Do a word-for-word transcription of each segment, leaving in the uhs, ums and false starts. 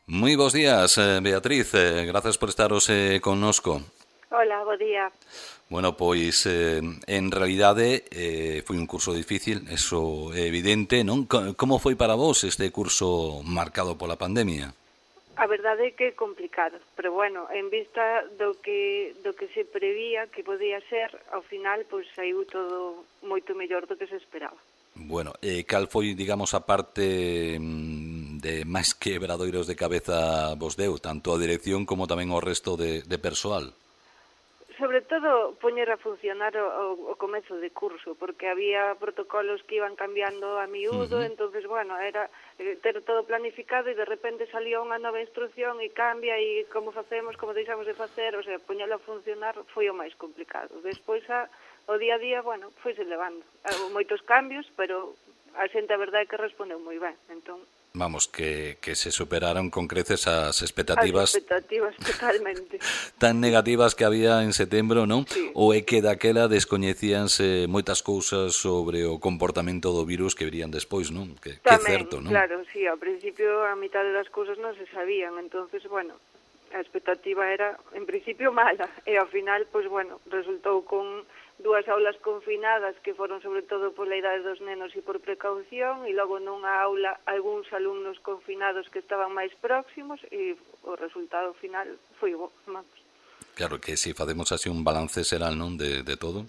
Moi bons días, eh, Beatriz, eh, grazas por estaros eh, connosco. Hola, bo día. Bueno, pois, eh, en realidade, eh, foi un curso difícil, eso é evidente, non? Co- Como foi para vos este curso marcado pola pandemia? A verdade é que é complicado, pero bueno, en vista do que do que se prevía que podía ser, ao final pois saiu todo moito mellor do que se esperaba. Bueno, eh, cal foi, digamos, a parte mm, de máis quebradoiros de cabeza vos deu, tanto a dirección como tamén o resto de, de persoal? Sobre todo poñer a funcionar o, o, o comezo de curso, porque había protocolos que iban cambiando a miúdo, Ujú. entonces bueno, era eh, ter todo planificado e de repente salía unha nova instrucción e cambia e como facemos, como deixamos de facer, o sea, poñelo a funcionar foi o máis complicado. Despois a, o día a día, bueno, foise levando. Houve moitos cambios, pero a xente a verdade é que respondeu moi ben, entón Vamos, que, que se superaron con creces as as expectativas expectativas totalmente. tan negativas que había en setembro, non? Sí. Ou é que daquela descoñecíanse moitas cousas sobre o comportamento do virus que virían despois, non? Que, que é Tamén, certo, non? claro, sí, ao principio a mitad das cousas non se sabían, entonces, bueno, a expectativa era, en principio, mala, e ao final, pois, bueno, resultou con dúas aulas confinadas que foron sobre todo pola idade dos nenos e por precaución, e logo nunha aula algúns alumnos confinados que estaban máis próximos, e o resultado final foi bo, vamos, Claro que se facemos así un balance xeral, non, de, de todo,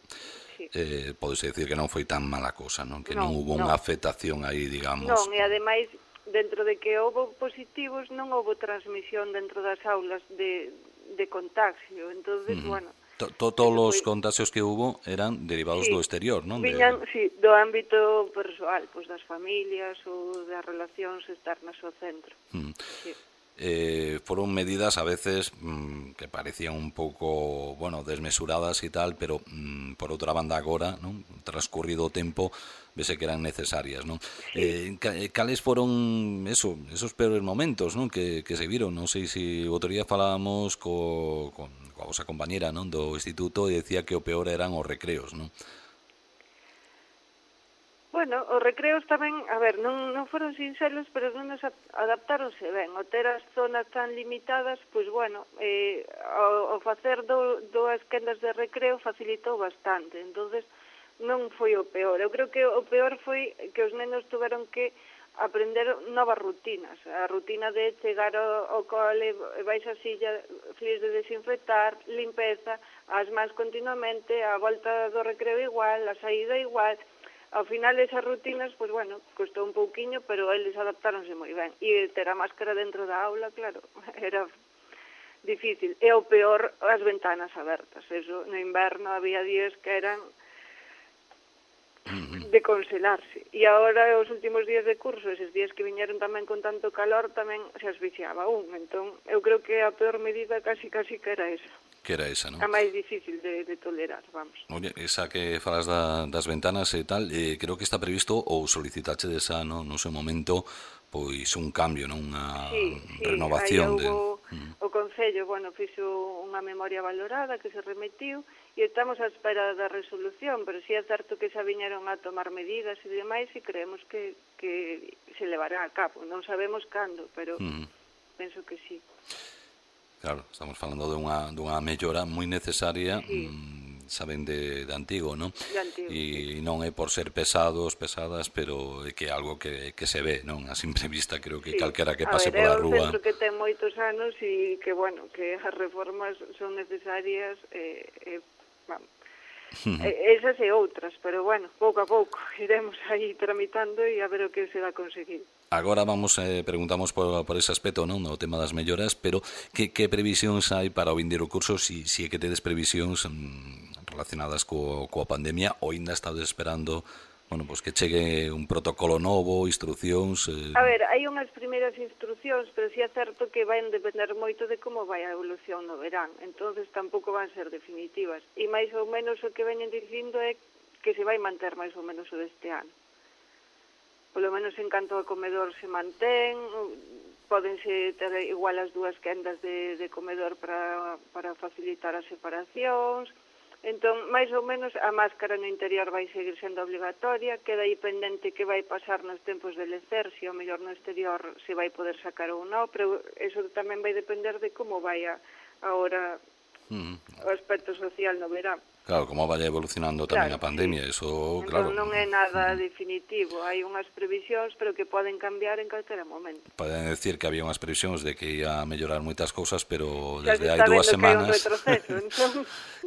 sí. eh, podese decir que non foi tan mala cosa, non? Que non Non, hubo unha non. afectación aí, Non, digamos. e ademais, dentro de que houve positivos, non houve transmisión dentro das aulas de, de contagio. Entonces, Uh -huh. bueno, To, to, todos eso os foi... contagios que hubo eran derivados Sí, do exterior, non? De, viñan, sí, do ámbito persoal, pois das familias ou das relacións externas ao centro. uh, Sí. eh, foron medidas a veces mmm, que parecían un pouco, bueno, desmesuradas e tal, pero mmm, por outra banda agora, non? Transcurrido o tempo, vese que eran necesarias, non? Sí. Eh, ca- eh, cales foron eso, esos peores momentos, non? Que, que se viron, non sei se o outro día falábamos co, con, coa vosa compañera, non? Do instituto e decía que o peor eran os recreos, non? Bueno, os recreos tamén, a ver, non, non foron sinxelos, pero non nos adaptáronse ben. O ter as zonas tan limitadas, pois bueno, eh, o, o facer do, dúas quendas de recreo facilitou bastante. Entonces non foi o peor. Eu creo que o peor foi que os nenos tuveron que aprender novas rutinas. A rutina de chegar ao, ao cole, vais a silla, fíes de desinfectar, limpeza, as mans continuamente, a volta do recreo igual, a saída igual. Ao final esas rutinas, pois bueno, costou un pouquiño, pero eles adaptáronse moi ben. E ter a máscara dentro da aula, claro, era difícil. E o peor, as ventanas abertas. Eso, no inverno había días que eran de congelarse. E agora, os últimos días de curso, eses días que viñeron tamén con tanto calor, tamén se asfixiaba un. Entón, eu creo que a peor medida casi casi que era esa. Que era esa, non? A máis difícil de, de tolerar, vamos. Oye, esa que falas da, das ventanas e tal, eh, creo que está previsto ou solicitache desa no, no seu momento pois un cambio, non? Unha Sí, sí, aí renovación de... houve Mm. o Concello, bueno, fixo unha memoria valorada que se remitiu e estamos á espera da resolución, pero si sí é certo que xa viñeron a tomar medidas e demais e creemos que, que se levará a cabo. Non sabemos cando, pero Mm. penso que sí. Claro, estamos falando dunha, dunha mellora moi necesaria, Sí, mmm, saben de, de antigo, non? de antigo, sí. E non é por ser pesados, pesadas, pero é que é algo que, que se ve, non? A simple vista, creo que Sí, calquera que a pase ver, é pola un rúa... centro que ten moitos anos e que, bueno, que as reformas son necesarias, eh, eh, vamos, eh, esas e outras, pero, bueno, pouco a pouco iremos aí tramitando e a ver o que se dá conseguir. Agora vamos, eh, preguntamos por, por ese aspecto, non? O tema das melloras, pero que, que previsións hai para o vindeiro curso, si, si é que tedes previsións mm, relacionadas co, coa pandemia ou ainda estades esperando, bueno, pues que chegue un protocolo novo, instruccións... Eh... A ver, hai unhas primeiras instruccións, pero si é certo que vai depender moito de como vai a evolución no verán, entonces tampouco van ser definitivas. E máis ou menos o que veñen dicindo é que se vai manter máis ou menos o deste ano. Polo menos en canto ao comedor se mantén, pódense ter igual as dúas quendas de, de comedor para, para facilitar as separacións, Entón, máis ou menos, a máscara no interior vai seguir sendo obligatoria, queda aí pendente que vai pasar nos tempos de lecer, se ao mellor no exterior se vai poder sacar ou non, pero eso tamén vai depender de como vai a, ahora mm. o aspecto social no verán. Claro, como vaya evolucionando tamén claro, a pandemia, sí. eso, entón, claro. non é nada definitivo, hai unhas previsións, pero que poden cambiar en calquera momento. Poden decir que había unhas previsións de que ia a mellorar moitas cousas, pero xa desde hai dúas semanas... Que hai un retroceso, entón...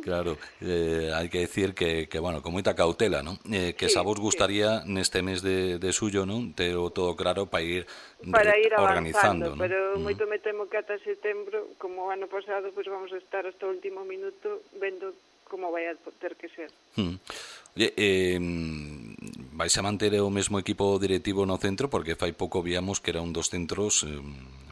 Claro, eh, hai que decir que, que, bueno, con moita cautela, non? Eh, que sí, xa vos gustaría sí. neste mes de, de suyo, non? Ter todo claro para ir, para ir organizando, avanzando, ¿no? pero Mm. moito me temo que ata setembro, como o ano pasado, pues vamos a estar hasta o último minuto vendo como vai a ter que ser. Mm. Oye, eh, vais a manter o mesmo equipo directivo no centro, porque fai pouco víamos que era un dos centros, eh,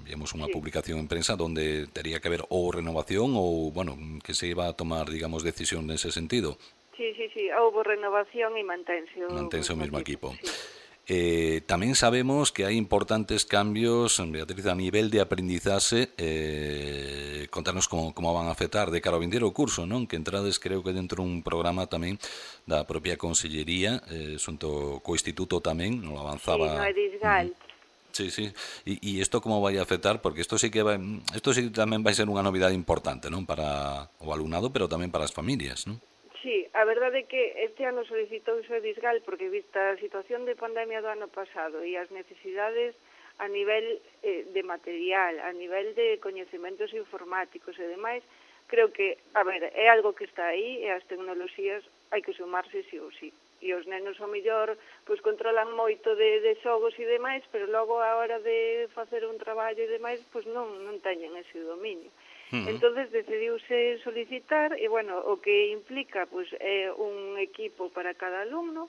víamos unha sí. publicación en prensa donde tería que haber ou renovación ou, bueno, que se iba a tomar, digamos, decisión nese sentido. Sí, sí, sí, houve renovación e mantense o, mantense o mesmo equipo. equipo. Sí. Eh, tamén sabemos que hai importantes cambios, Beatriz, a nivel de aprendizaxe. Eh, contarnos como, como van a afectar de cara ao vindeiro curso, non? Que entrades, creo que dentro un programa tamén da propia Consellería, eh, xunto co Instituto tamén, non avanzaba... Sí, no Edisgal. Uh-huh. Sí, sí. E isto como vai a afectar? Porque isto sí que vai, isto sí que tamén vai ser unha novidade importante, non? Para o alumnado, pero tamén para as familias, non? Sí, a verdade é que este ano solicitouse o Edisgal porque vista a situación de pandemia do ano pasado e as necesidades a nivel eh, de material, a nivel de coñecementos informáticos e demais, creo que, a ver, é algo que está aí e as tecnoloxías hai que sumarse sí ou sí. E os nenos, ao mellor, pois controlan moito de, de xogos e demais, pero logo a hora de facer un traballo e demais, pois non, non teñen ese dominio. Uh-huh. Entonces decidiuse solicitar e, bueno, o que implica pois, é un equipo para cada alumno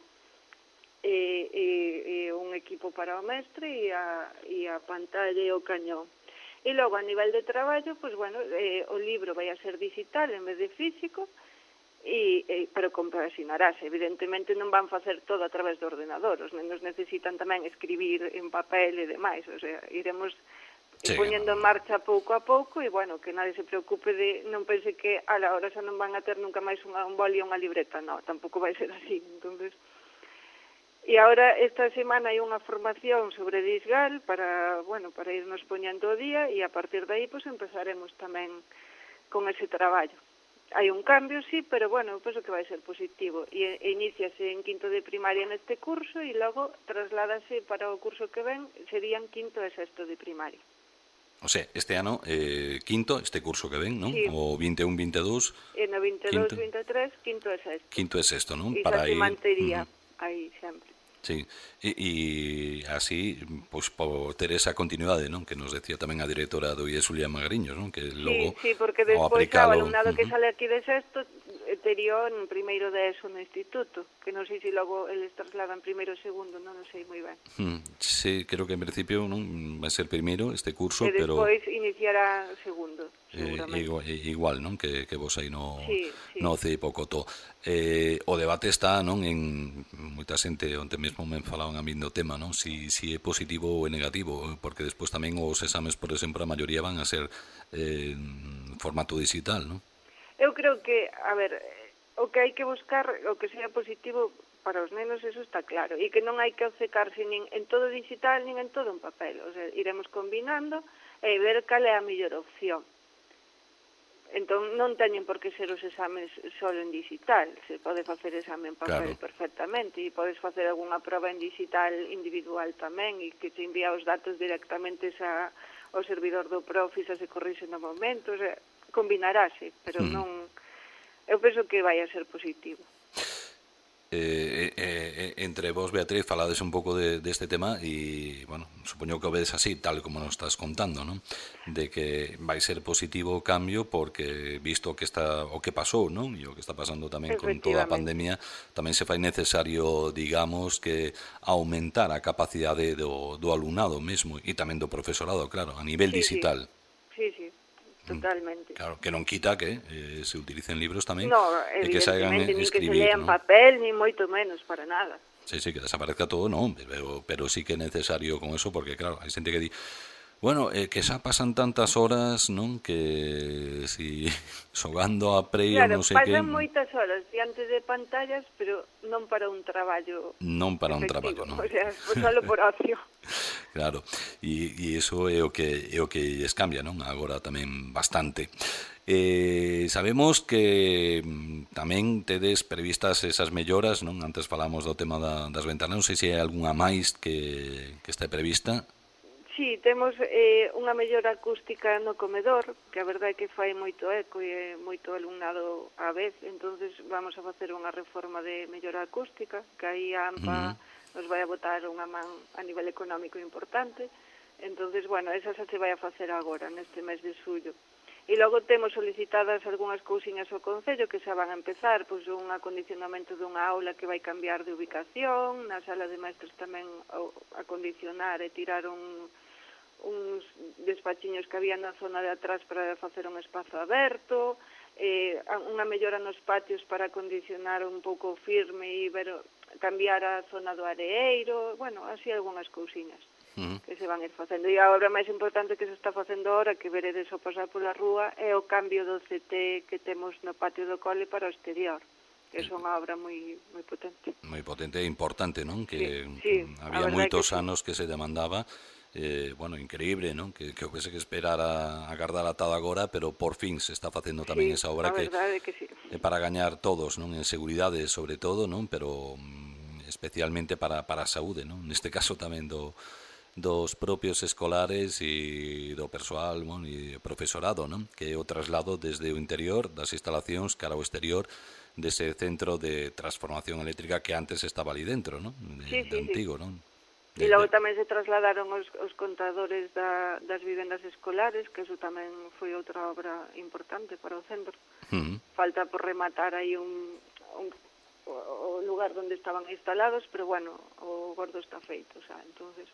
e, e, e un equipo para o mestre e a, e a pantalla e o cañón. E logo, a nivel de traballo, pois, bueno, eh, o libro vai a ser digital en vez de físico, e, e, pero compaxinarase. Evidentemente non van facer todo a través do ordenador, os nenos necesitan tamén escribir en papel e demais, o sea, iremos... Sí, poñendo en marcha pouco a pouco e, bueno, que nadie se preocupe de, non pense que a la hora xa non van a ter nunca máis unha, un boli e unha libreta, non, tampouco vai ser así, entonces... E agora, esta semana hai unha formación sobre Edisgal para, bueno, para irnos poñendo o día e a partir de aí, pois, empezaremos tamén con ese traballo. Hai un cambio, sí, pero, bueno, penso que vai ser positivo e, e iníciase en quinto de primaria neste curso e logo trasládase para o curso que ven, serían quinto e sexto de primaria. O sea, este ano, eh, quinto, este curso que ven, non? Sí. O vinte e un vinte e dous. E no vinte e dous vinte e tres, quinto e sexto. Quinto e sexto, non? E para xa se ir... mantería uh-huh. aí sempre. Sí, e, e así, pois, por ter esa continuidade, non? Que nos decía tamén a directora do I E S, Julia Magariños, non? Que logo, sí, sí, porque despois o alumnado uh-huh. que sale aquí de sexto tería en primeiro de eso no instituto, que non sei se logo eles trasladan primeiro e segundo, non o sei moi ben. Hmm, sí, creo que en principio non vai ser primeiro este curso, e pero... E despois iniciará segundo, Eh, seguramente. igual, igual, non? Que, que vos aí no, sí, sí. no C I P O Cotó. Eh, o debate está, non? En moita xente, onte mesmo me falaban a mí do tema, non? Si, si é positivo ou é negativo, porque despois tamén os exames, por exemplo, a maioría van a ser eh, en formato digital, non? Eu creo que, a ver, o que hai que buscar, o que sea positivo para os nenos, eso está claro, e que non hai que obcecarse nin en todo digital, nin en todo en papel, o sea, iremos combinando e ver cal é a mellor opción. Entón, non teñen por que ser os exames só en digital, se pode facer exame en papel claro. perfectamente, e podes facer algunha prova en digital individual tamén, e que te envía os datos directamente xa ao servidor do profe, xa se corrixe no momento, o sea, combinarase, pero mm. non... Eu penso que vai a ser positivo. Eh, eh, eh, entre vos, Beatriz, falades un pouco de, de este tema e, bueno, supoño que o vedes así, tal como nos estás contando, non? De que vai ser positivo o cambio porque, visto que está o que pasou, non? E o que está pasando tamén con toda a pandemia, tamén se fai necesario, digamos, que aumentar a capacidade do, do alumnado mesmo e tamén do profesorado, claro, a nivel sí, digital. Sí, sí. Totalmente. Claro, que non quita que eh, se utilicen libros tamén no, e que se hagan ni escribir, que se lean ¿no? papel, ni moito menos, para nada. Sí, sí, que desaparezca todo, non, pero, pero sí que é necesario con eso, porque claro, hai xente que di Bueno, eh, que xa pasan tantas horas, non? Que si xogando a Play ou Claro, non sei que, pasan moitas horas diante de pantallas, pero non para un traballo non para un traballo, efectivo, non? o sea, pues solo por ocio. Claro, e, e iso é o que é o que lles cambia, non? Agora tamén bastante. Eh, sabemos que mm, tamén tedes previstas esas melloras, non? Antes falamos do tema da, das ventanas, non sei se hai algunha máis que, que este prevista. Sí, temos eh, unha mellora acústica no comedor, que a verdade é que fai moito eco e é moito alumnado á vez, entonces vamos a facer unha reforma de mellora acústica, que aí a AMPA Uh-huh. nos vai a botar unha man a nivel económico importante, entonces, bueno, esa xa se vai a facer agora, neste mes de xullo. E logo temos solicitadas algunhas cousiñas ao Concello que xa van a empezar, pois un acondicionamento dunha aula que vai cambiar de ubicación, na sala de maestros tamén acondicionar e tirar un uns despachiños que había na zona de atrás para facer un espazo aberto, eh, unha mellora nos patios para acondicionar un pouco firme e ver, cambiar a zona do areeiro, bueno, así algunhas cousiñas uh-huh. que se van ir facendo. E a obra máis importante que se está facendo ahora, que veredes ao pasar pola rúa, é o cambio do C T que temos no patio do cole para o exterior, que é unha obra moi moi potente. Moi potente e importante, non? Que sí, sí, había moitos que anos sí. que se demandaba. Eh, bueno, increíble, non? Que, que houvese que esperar a, a agardar ata agora, pero por fin se está facendo tamén sí, esa obra que, que sí. é para gañar todos, non? En seguridade, sobre todo, non? Pero mm, especialmente para, para a saúde, non? Neste caso tamén do, dos propios escolares e do persoal, bueno, e profesorado, non? Que é o traslado desde o interior das instalacións cara ao exterior dese centro de transformación eléctrica que antes estaba ali dentro, non? De, sí, sí, de antigo, sí. non? E logo tamén se trasladaron os, os contadores da, das vivendas escolares, que eso tamén foi outra obra importante para o centro. Uh-huh. Falta por rematar aí un, un o lugar onde estaban instalados, pero bueno, o gordo está feito, xa, entonces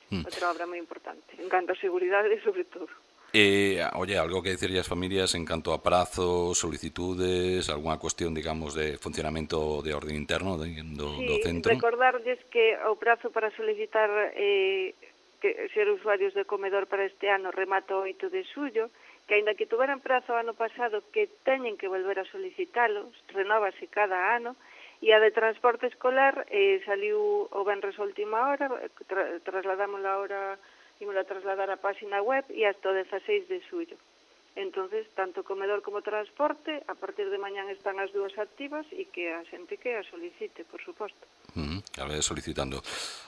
uh-huh. outra obra moi importante, en canto a seguridade sobre todo. Eh, oye, algo que decirlle as familias en canto a prazos, solicitudes, algunha cuestión, digamos, de funcionamento de orden interno de, do, sí, do centro? Sí, recordarles que o prazo para solicitar eh, que ser usuarios de comedor para este ano remata o oito de xullo, que aínda que tuveran prazo ano pasado que teñen que volver a solicitalos, renóvase cada ano, e a de transporte escolar eh, saliu o venres a última hora, tra trasladámosla ahora, ímos a trasladar a página web e hasta o dezaseis de xullo. Entonces, tanto comedor como transporte, a partir de mañán están as dúas activas e que a xente que a solicite, por suposto. Uh-huh, que a ver, solicitando.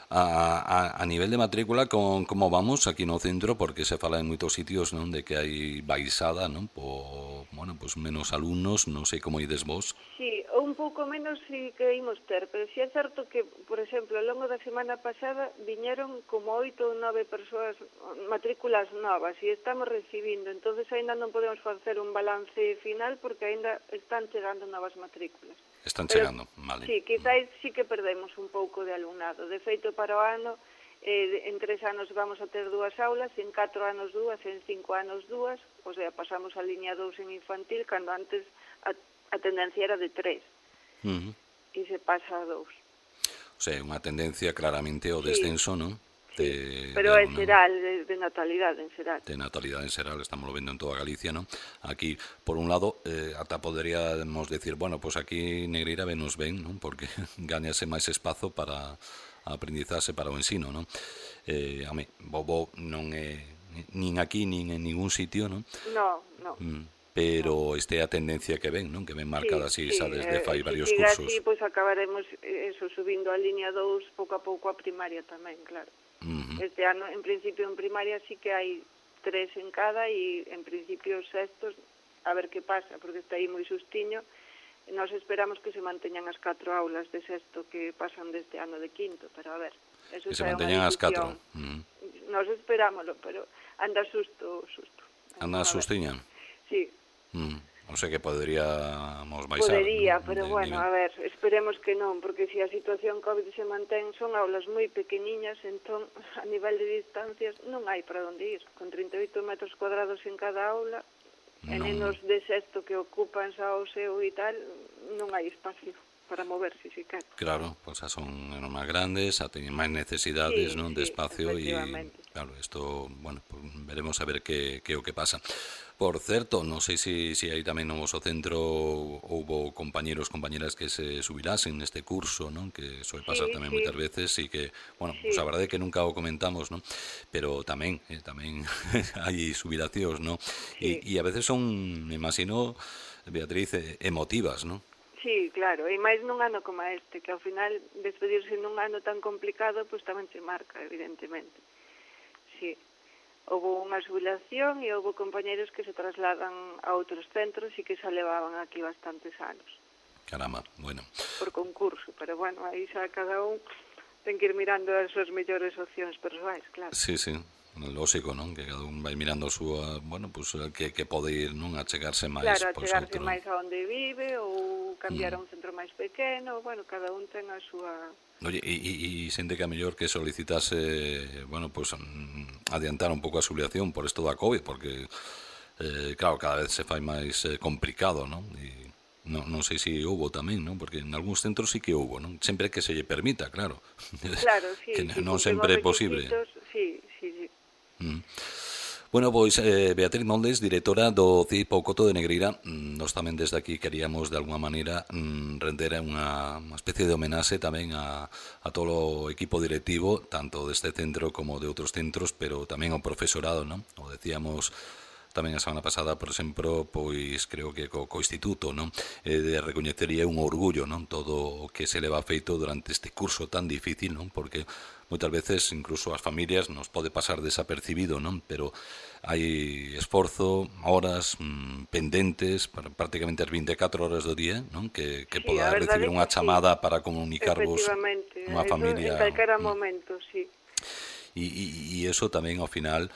A, a, a nivel de matrícula, con, como vamos aquí no centro? Porque se fala en moitos sitios, non, de que hai baixada, non? Po, bueno, pues menos alumnos, non sei como ides vos. Sí, un pouco menos si que imos ter, pero si é certo que, por exemplo, ao longo da semana pasada viñeron como oito ou nove persoas, matrículas novas, e estamos recibindo, entonces aínda non podemos facer un balance final porque aínda están chegando novas matrículas. Están chegando, vale. Sí, quizáis sí que perdemos un pouco de alumnado. De feito, para o ano, eh, en tres anos vamos a ter dúas aulas, en catro anos dúas, en cinco anos dúas, o sea, pasamos a liña dous en infantil, cando antes a, a tendencia era de tres, uh-huh. e se pasa a dous. O sea, unha tendencia claramente ao descenso, sí. non? De, pero é xeral, de, de natalidade en xeral. De natalidade en xeral, estamos vendo en toda Galicia, non? Aquí, por un lado, eh, ata poderíamos decir, bueno, pues aquí Negreira venos ben, non? Porque gañase máis espazo para a aprendizaxe, para o ensino, non? Eh, a mí, Bobo non é nin aquí, nin en ningún sitio, non? No, no. Mm. Pero esta é a tendencia que ven, non? Que ven marcada así, sí, xa desde fai eh, varios si cursos. Así, pois acabaremos eso, subindo a liña dous pouco a pouco a primaria tamén, claro. Uh-huh. Este ano, en principio, en primaria sí que hai tres en cada e, en principio, sextos, a ver que pasa, porque está aí moi sustiño. Nos esperamos que se manteñan as catro aulas de sexto que pasan deste ano de quinto, pero a ver. Eso que se manteñan as catro. Uh-huh. Nos esperámoslo, pero anda susto, susto. Anda sustiña? Sí. Uh-huh. O sea que poderíamos baixar. Podería, pero de bueno, nivel. A ver, esperemos que non, porque se a situación COVID se mantén, son aulas moi pequeniñas, entón, a nivel de distancias, non hai para onde ir. Con trinta e oito metros cuadrados en cada aula, no. E nenos de sexto que ocupan xa o seu e tal, non hai espacio para moverse, si quer. Claro, pois pues son máis grandes, a teñen máis necesidades, sí, non, de sí, espacio e Claro, isto, bueno, pues veremos a ver que, que o que pasa. Por certo, non sei se si, si aí tamén no vosso centro houbo compañeros, compañeras que se subilasen neste curso, non? Que soe pasar Sí, tamén sí, moitas veces e que, bueno, sí, pues a verdade é que nunca o comentamos, non? Pero tamén, eh, tamén hai subilacións, non? E, sí. e a veces son, me imagino, Beatriz, eh, emotivas, non? Sí, claro, e máis nun ano como este, que ao final despedirse nun ano tan complicado, pois tamén se marca, evidentemente. Sí, houve unha xubilación e houve compañeros que se trasladan a outros centros e que xa levaban aquí bastantes anos. Caramba, bueno. Por concurso, pero bueno, aí xa cada un ten que ir mirando as súas mellores opcións persoais, claro. Sí, sí, lógico, non? Que cada un vai mirando a súa, bueno, pues que, que pode ir, non? A chegarse máis, Claro, a pois, chegarse outro. máis a onde vive ou cambiar Mm. a un centro máis pequeno, bueno, cada un ten a súa... Oye, e, e, e sente que a mellor que solicitase, bueno, pues mm, adiantar un pouco a xubilación por isto da COVID, porque, eh, claro, cada vez se fai máis eh, complicado, non? E non, non sei se houbo tamén, non? Porque en algúns centros sí que houbo, non? Sempre que se lle permita, claro. Claro, sí, que sí, non cumplimos sempre é posible. requisitos, sí, sí, sí. Mm. Bueno, pois eh, Beatriz Moldes, directora do C I P Couto de Negreira, mm, nós tamén desde aquí queríamos de alguma maneira mm, render unha, unha especie de homenaxe tamén a, a todo o equipo directivo, tanto deste centro como de outros centros, pero tamén ao profesorado, non? O decíamos tamén a semana pasada, por exemplo, pois creo que co, co instituto, non? Eh, de recoñecería un orgullo, non? Todo o que se leva feito durante este curso tan difícil, non? Porque moitas veces incluso as familias nos pode pasar desapercibido, non? Pero hai esforzo, horas mm, pendentes, para prácticamente as vinte e catro horas do día, non? Que, que Sí, poda a verdade recibir é unha que chamada sí. para comunicarvos Efectivamente, unha eso familia. en calquera mm, momento, sí. E, e, e eso tamén ao final,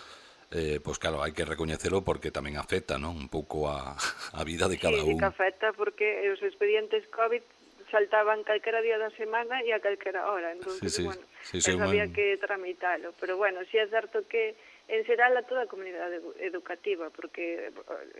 eh, pois claro, hai que recoñecelo porque tamén afecta, non? Un pouco a, a vida de cada Sí, sí un. que afecta porque os expedientes COVID saltaban calquera día da semana e a calquera hora, entonces, Sí, sí, bueno, sí, sí, eso man. había que tramitalo, pero bueno, sí é certo que en xeral a toda a comunidade educativa, porque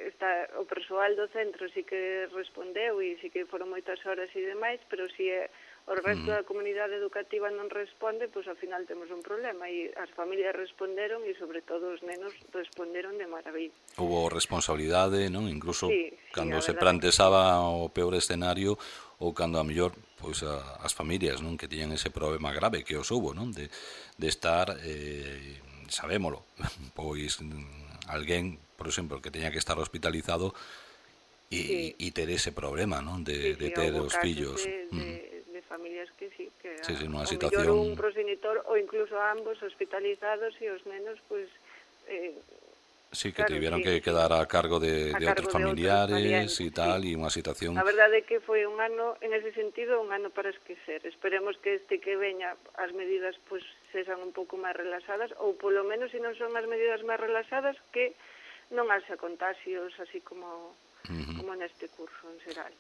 está o persoal do centro sí que respondeu e sí que foron moitas horas e demais, pero si é o resto da comunidade educativa non responde, pois ao final temos un problema e as familias responderon e sobre todo os nenos responderon de maravilla. Hubo responsabilidade, non? Incluso Sí, sí, cando a se verdade que plantexaba o peor escenario ou cando a mellor pois a, as familias, non, que tiñan ese problema grave que os hubo, non, de, de estar eh, sabémolo, pois alguén, por exemplo, que teña que estar hospitalizado e, Sí. e ter ese problema, non, de, Sí, de sí, ter houbo os casos fillos. de, de, Mm. de familias que sí, que Sí, sí, nunha o situación- mellor un progenitor ou incluso ambos hospitalizados e os nenos, pois, eh, Sí, que claro, tiveron sí, que sí. quedar a cargo de, A de cargo outros de outros familiares parientes, e tal, sí. e unha situación... a verdade é que foi un ano, en ese sentido, un ano para esquecer. Esperemos que este que veña as medidas pois sexan un pouco máis relaxadas, ou polo menos, se non son as medidas máis relaxadas, que non haxa contagios así como, Ujú. como neste curso en xeral.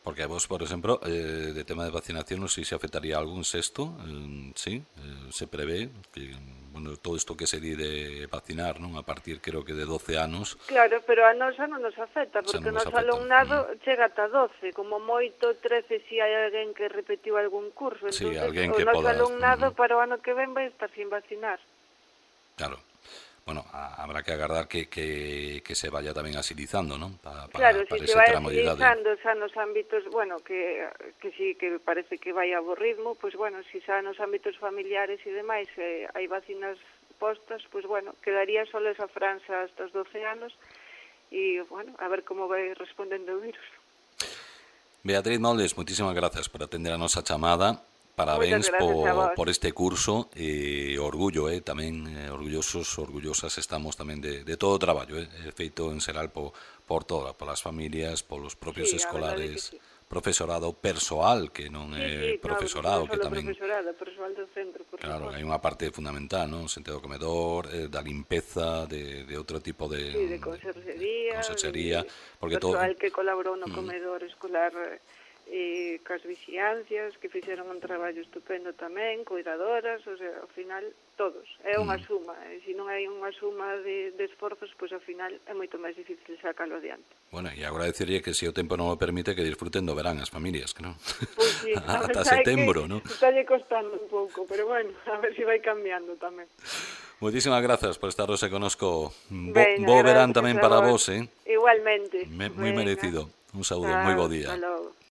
Porque a vos, por exemplo, eh, de tema de vacinación, non sei se afectaría algún sexto, eh, sí, eh, se prevé que, bueno, todo isto que se di de vacinar, non, a partir, creo que de doce anos, Claro, pero a nosa non nos afecta, Xa porque o non nos noso afecta. alumnado chega ata doce, como moito trece se hai alguén que repetiu algún curso. Sí, Entonces, alguén o que noso poda- alumnado Ujú. para o ano que ven vai estar sin vacinar. claro, bueno, a, habrá que agardar que, que, que se vaya tamén asilizando, non, pa, para, Claro, para si ese se vai tramo de idade. agilizando xa nos ámbitos, bueno, que, que sí, que parece que vai a bo ritmo, pois bueno, si xa nos ámbitos familiares e demais eh, hai vacinas postas, pois bueno, quedaría só esa franxa hasta os doce anos e, bueno, a ver como vai respondendo o virus. Beatriz Moldes, moitísimas gracias por atender a nosa chamada. Parabéns Moitas gracias a por, vos. por este curso e orgullo, eh, tamén eh, orgullosos, orgullosas estamos tamén de, de todo o traballo, eh, feito en xeral por, por todas, polas familias, polos propios Sí, a verdade escolares, que sí. profesorado persoal, que non Sí, é sí, profesorado, no, que non só tamén... profesorado, persoal do centro, por Claro, suposto. hai unha parte fundamental, non? Sentido do comedor, eh, da limpeza, de, de outro tipo de... Sí, de conserjería, conserjería, de porque todo... persoal que colaborou no comedor escolar eh, cas vixiancias, que fixeron un traballo estupendo tamén, cuidadoras, o sea, ao final, todos. É unha suma, e se non hai unha suma de, de esforzos, pois ao final é moito máis difícil sacalo adiante. Bueno, e agora deciría que se o tempo non o permite que disfruten do verán as familias, que non? Pois sí, a Ata verdade é setembro, que non? está lle costando un pouco, pero bueno, a ver se vai cambiando tamén. Moitísimas grazas por estar hoxe conosco. Bo, Veña, bo verán gracias tamén a para vos. vos, eh? Igualmente. Me, moi Venga. merecido. Un saúdo, Chao, moi bo día. hasta logo.